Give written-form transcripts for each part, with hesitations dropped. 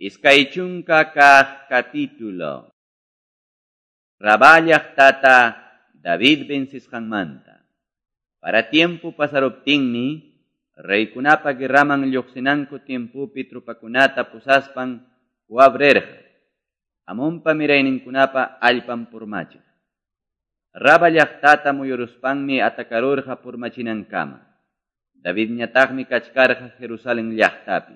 20 kaq capítulo. Rabá llaqtata David vencisqanmanta. Para tiempo pasaruptinmi, reykunapa guerraman lluqsinanku tiempopi tropakunata pusaspan Joab rirqa, Amonpa mirayninkunapa allpan purmachiq. Raba llaqtata muyuruspanmi atacarurqa purmachinankama. Davidñataqmi kachkarqa Jerusalén llaqtapi.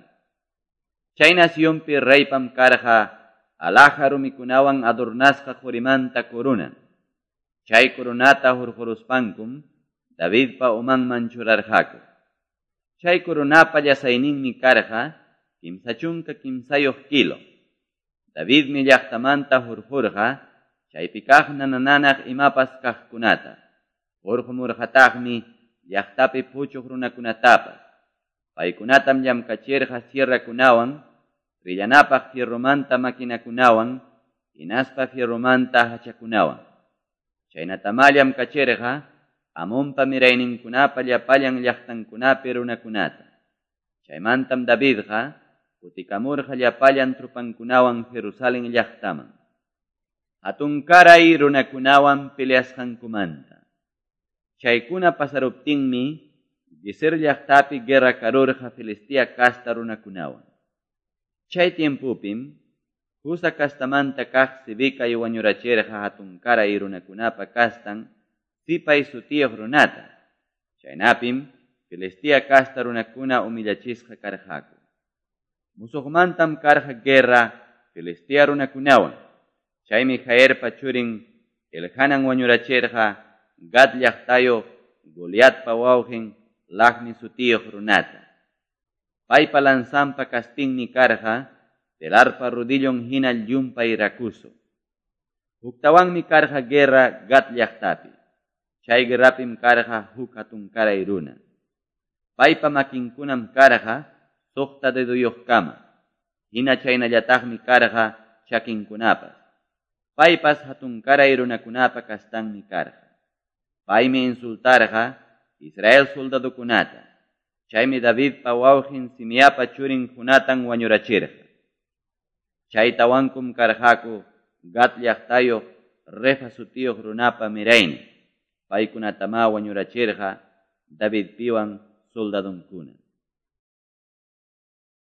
Chay nacionpi reypam karqa alhaja rumikunawan adornasqa qurimanta corona. Chay coronata hurquruspankum Davidpa umanman churarqaku. Chay coronapa llasayninmi karqa 33 kilo. Davidmi llaqtamanta hurqurqa chaypi kaq nanananaq imapas kaqkunata. Hurqumurqataqmi llaqtapi puchuq runakunatapas. Paykunatam llamkachirqa sierrakunawan, rillanapaq fierromanta maquinakunawan, hinaspa fierromanta hachakunawan. Chaynatamá llamkachirqa Amonpa mirayninkunapa llapallan llaqtankunapi runakunata. Chaymantam Davidqa kutikamurqa llapallan tropankunawan Jerusalén llaqtaman. Hatunkaray runakunawan peleasqankumanta. Chaykuna pasaruptinmi Gezer llaqtapi guerra karurqa Filistea casta runakunawan. Chay tiempopim Husa castamanta kaq Sibicay wañurachirqa hatunkaray runakunapa kastan Sipay sutiyuq runata. Chaynapim Filistea casta runakuna humillachisqa karqaku. Musuqmantam karqa guerra Filistea runakunawan. Chaymi Jairpa churin Elhanan wañurachirqa Gad llaqtayuq Goliatpa wawqin Lahmi sutiyuq runata. Paypa lanzanpa kaspinmi karqa telarpa rodillon hina llumpay rakuso. Huktawanmi karqa guerra Gat llaqtapi. Chay guerrapim karqa huk hatunkaray runa. Paypa makinkunam karqa 6 deduyuqkama. Hina chaynallataqmi karqa chakinkunapas. Paypas hatunkaray runakunapa kastanmi karqa. Paymi insultarqa Israel soldadokunata. Chaymi Davidpa wawqin Simeapa churin Jonatan wañurachirqa. Chay tawankum karqaku Gat llaqtayuq Refa sutiyuq runapa miraynin. Paykunatamá wañurachirqa Davidpiwan soldadonkuna.